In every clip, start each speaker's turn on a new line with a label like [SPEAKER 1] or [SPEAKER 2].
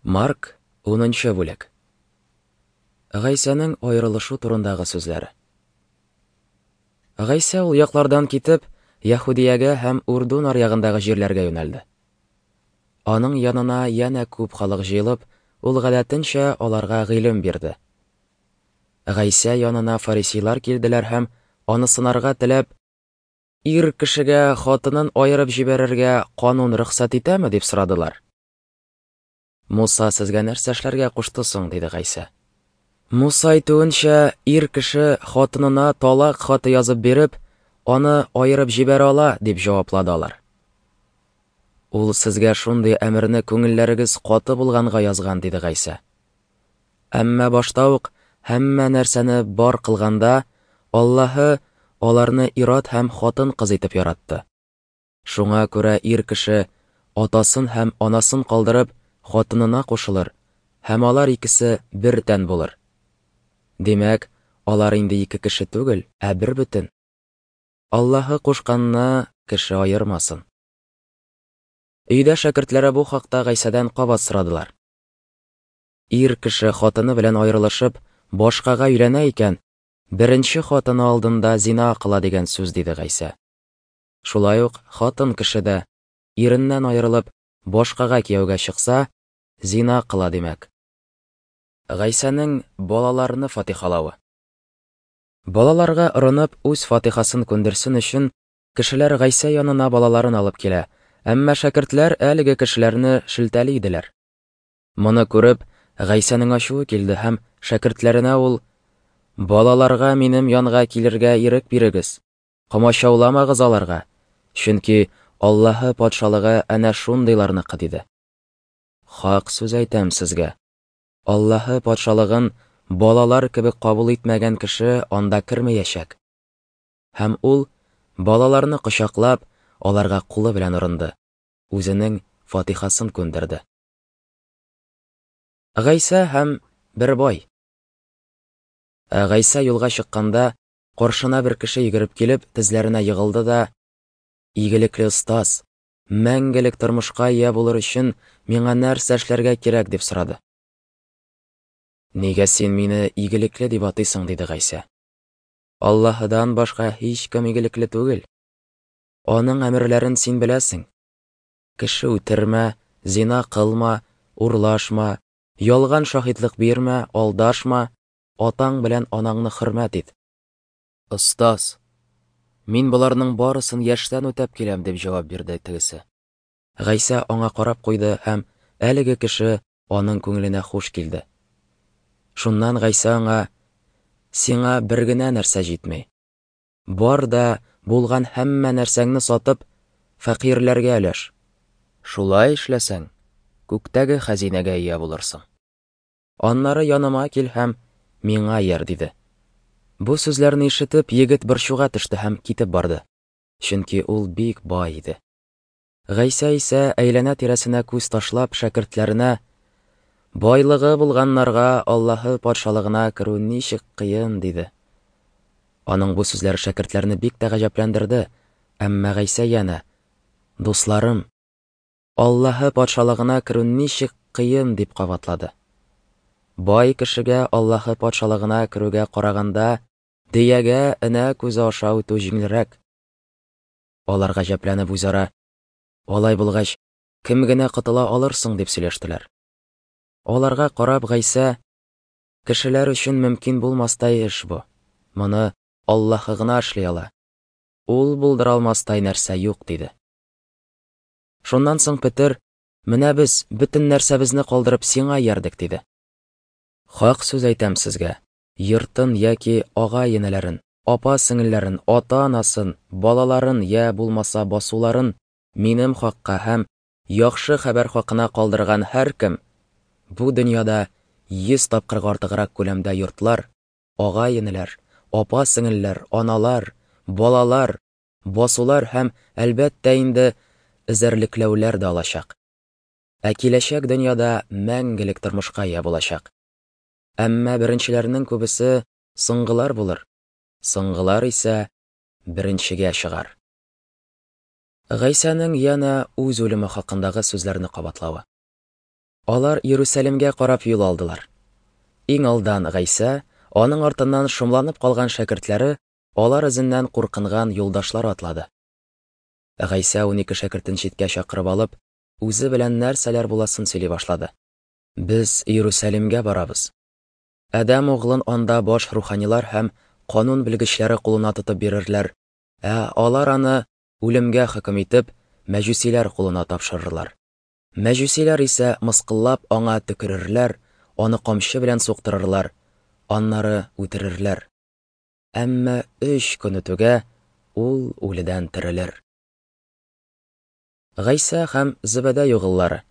[SPEAKER 1] Марк, 10 бүлек. Гайсәнең аерылышу турындагы сүзләре. Гайсә ул яклардан китеп, Яһүдиягә һәм Урдун аръягындагы җирләргә юнәлде. Аның янына янә күп халык җыелып, ул гадәтенчә аларга гыйлем бирде. Гайсә янына фарисейлар килделәр һәм, аны сынарга теләп, Ир кешегә хатынын аерып җибәрергә канун рөхсәт итәме, дип сорадылар. Муса сезгә нәрсә эшләргә кушты соң? диде Гайсә. Муса әйтүенчә, ир кеше хатынына талак хаты язып биреп, аны аерып җибәрә ала, дип җаваплады алар. Ул сезгә шундый әмерне күңелләрегез каты булганга язган, диде Гайсә. Әмма башта ук һәммә нәрсәне бар кылганда, Аллаһы аларны ир-ат һәм хатын-кыз итеп яратты. Шуңа күрә ир кеше, атасын һәм анасын калдырып, хатынына кушылыр, һәм алар икесе бер тән булыр. Димәк, алар инде ике кеше түгел, ә бербөтен. Аллаһы кушканны кеше аермасын. Өйдә шәкертләре бу хакта Гайсәдән кабат сорадылар. Ир кеше хатыны белән аерылышып, башкага өйләнә икән, беренче хатыны алдында зина кыла дигән сүз, диде Гайсә. Шулай ук хатын кеше дә, иреннән аерылып, башкага кияүгә чыкса, зина кыла димәк. Гайсәнең балаларны фатихалавы. Балаларга орынып, үз фатихасын күндерсен өчен, кешеләр Гайсә янына балаларын алып килә, әмма шәкертләр әлеге кешеләрне шелтәли иделәр. Моны күреп, Гайсәнең ачуы килде һәм шәкертләренә ул, Балаларга минем янга килергә ирек бирегез, Комачауламагыз аларга, чөнки Аллаһы Патшалыгы әнә шундыйларныкы, диде. Хак сүз әйтәм сезгә, Аллаһы Патшалыгын балалар кебек кабул итмәгән кеше анда кермәячәк. Һәм ул, балаларны кочаклап, аларга кулы белән орынды, үзенең фатихасын күндерде. Гайсә һәм бер бай. Ә Гайсә юлга чыкканда, Каршына бер кеше йөгереп килеп, тезләренә егылды да, Игелекле остаз, мәңгелек тормышка ия булыр өчен миңа нәрсә эшләргә кирәк, дип сорады. Нигә син мине игелекле дип атыйсың, диде Гайсә. Аллаһыдан башка һичкем игелекле түгел. Аның әмерләрен син беләсең. Кеше үтермә, зина кылма, урлашма, ялган шаһитлык бирмә, алдашма, атаң белән анаңны хөрмәт ит. Остаз, мин боларның барысын яшьтән үтәп киләм, дип җавап бирде тегесе. Гайсә аңа карап куйды һәм әлеге кеше аның күңеленә хуш килде. Шуннан Гайсә аңа, Сиңа бер генә нәрсә җитми. Бар да булган һәммә нәрсәңне сатып, фәкыйрьләргә өләш. Шулай эшләсәң, күктәге хәзинәгә ия булырсың. Аннары яныма кил һәм миңа ияр, диде. Бу сүзләрне ишетеп, егет борчуга төште һәм китеп барды, чөнки ул бик бай иде. Гайсә исә әйләнә-тирәсенә күз ташлап, шәкертләренә, Байлыгы булганнарга Аллаһы Патшалыгына керү ничек кыен, диде. Аның бу сүзләре шәкертләрне бик тә гаҗәпләндерде, әмма Гайсә янә, Дусларым, Аллаһы Патшалыгына керү ничек кыен, дип кабатлады. Бай кешегә Аллаһы Патшалыгына керүгә караганда, дөягә энә күзе аша үтү җиңелрәк. Алар гаҗәпләнеп үзара, Алай булгач, кем генә котыла алыр соң, дип сөйләштеләр. Аларга карап Гайсә, Кешеләр өчен мөмкин булмастай эш бу. Моны Аллаһы гына эшли ала. Ул булдыра алмастай нәрсә юк, диде. Шуннан соң Петер, Менә без, бөтен нәрсәбезне калдырып, сиңа иярдек, диде. Хак сүз әйтәм сезгә, йортын яки агай-энеләрен, апа-сеңелләрен, ата-анасын, балаларын я булмаса басуларын минем хакка һәм яхшы хәбәр хакына калдырган һәркем бу дөньяда 100 тапкырга артыграк күләмдә йортлар, агай-энеләр, апа-сеңелләр, аналар, балалар, басулар һәм, әлбәттә инде, эзәрлекләүләр дә алачак. Ә киләчәк дөньяда мәңгелек тормышка ия булачак. Әмма беренчеләрнең күбесе соңгылар булыр, соңгылар исә беренчегә чыгар. Гайсәнең янә үз үлеме хакындагы сүзләрне кабатлавы. Алар Иерусалимгә карап юл алдылар. Иң алдан Гайсә, аның артыннан шомланып калган шәкертләре, алар эзеннән куркынган юлдашлары атлады. Гайсә 12 шәкертен читкә чакырып алып, үзе белән нәрсәләр буласын сөйли башлады. Без Иерусалимгә барабыз. Адәм углын анда баш руханилар һәм канун белгечләре кулына тотып бирерләр, ә алар аны үлемгә хөкем итеп, мәҗүсиләр кулына тапшырырлар. Мәҗүсиләр исә мыскыллап аңа төкерерләр, аны камчы белән суктырырлар, аннары үтерерләр. Әмма өч көн үтүгә ул үледән терелер. Гайсә һәм Зебәдәй угыллары.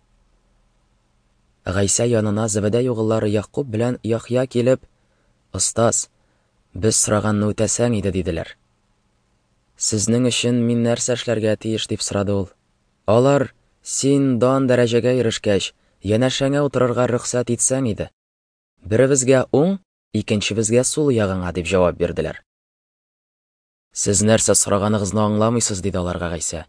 [SPEAKER 1] Гайсә янына Зебәдәй угыллары Ягъкуб белән Яхъя килеп, Остаз, без сораганны үтәсәң иде, диделәр. Сезнең өчен мин нәрсә эшләргә тиеш, дип сорады ул. Алар, Син дан дәрәҗәгә ирешкәч, янәшәңә утырырга рөхсәт итсәң иде. Беребезгә уң, икенчебезгә сул ягыңа, дип җавап бирделәр. Сез нәрсә сораганыгызны аңламыйсыз, диде аларга Гайсә.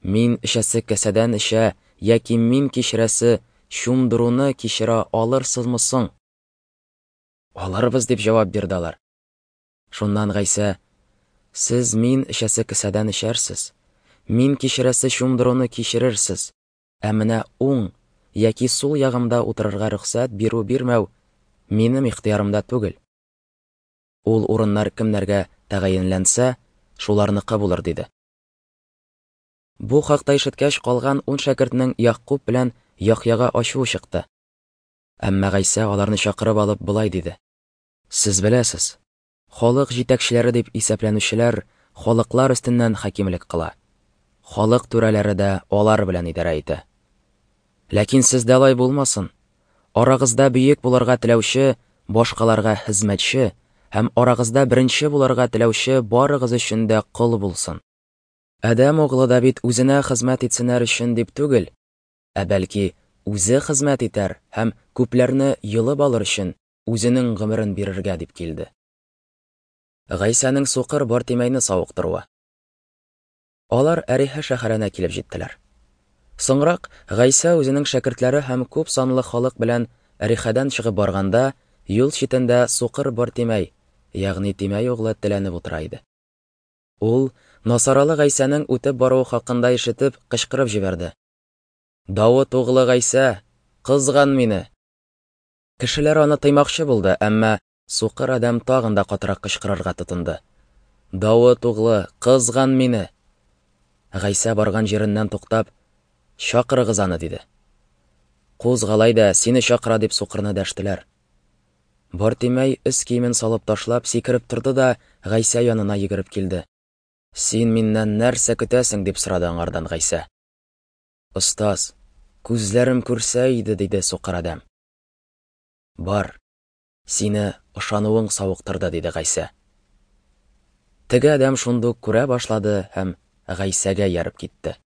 [SPEAKER 1] Мин эчәсе кәсәдән эчә яки мин кичерәсе чумдыруны кичерә алырсызмы соң? Алырбыз, дип җавап бирде алар. Шуннан Гайсә, Сез мин эчәсе кесәдән эчәрсез, мин кичерәсе чумдыруны кичерерсез, ә менә уң яки сул ягымда утырырга рөхсәт бирү-бирмәү минем ихтыярымда түгел. Ул урыннар кемнәргә тәгаенләнсә, шуларныкы булыр, диде. Бу хакта ишеткәч, калган ун шәкертнең Ягъкуб белән Яхъяга ачуы чыкты. Әмма Гайсә аларны чакырып алып болай диде: Сез беләсез, халык җитәкчеләре дип исәпләнүчеләр халыклар өстеннән хакимлек кыла. Халык түрәләре дә алар белән идарә итә. Ләкин сездә алай булмасын. Арагызда бөек булырга теләүче башкаларга хезмәтче һәм арагызда беренче булырга теләүче барыгыз өчен дә кол булсын. Адәм углы да бит үзенә хезмәт итсеннәр өчен дип түгел, ә бәлки үзе хезмәт итәр һәм күпләрне йолып алыр өчен үзенең гомерен бирергә дип килде. Гайсәнең сукыр Бартимәйне савыктыруы. Алар Әриһә шәһәренә килеп җиттеләр. Соңрак Гайсә үзенең шәкертләре һәм күп санлы халык белән Әрихәдән чыгып барганда, юл читендә сукыр Бартимәй, ягъни Тимәй углы теләнеп утыра иде. Ул, Насаралы Гайсәнең үтеп баруы хакында ишетеп, кычкырып җибәрде. Давыт углы Гайсә, кызган мине! Кешеләр аны тыймакчы булды, әмма сукыр адәм тагын да катырак кычкырырга тотынды. Давыт углы, кызган мине! Гайсә барган җиреннән туктап, Чакырыгыз аны, диде. Кузгал әйдә, сине чакыра, дип сукырны дәштеләр. Бартимәй өс киемен салып ташлап, сикереп торды да Гайсә янына йөгереп килде. Син миннән нәрсә көтәсең, дип сорады аңардан Гайсә. Остаз, күзләрем күрсә иде, диде сукыр адәм. Бар, сине ышануың савыктырды, диде Гайсә. Теге адәм шундук күрә башлады һәм Гайсәгә ияреп китте.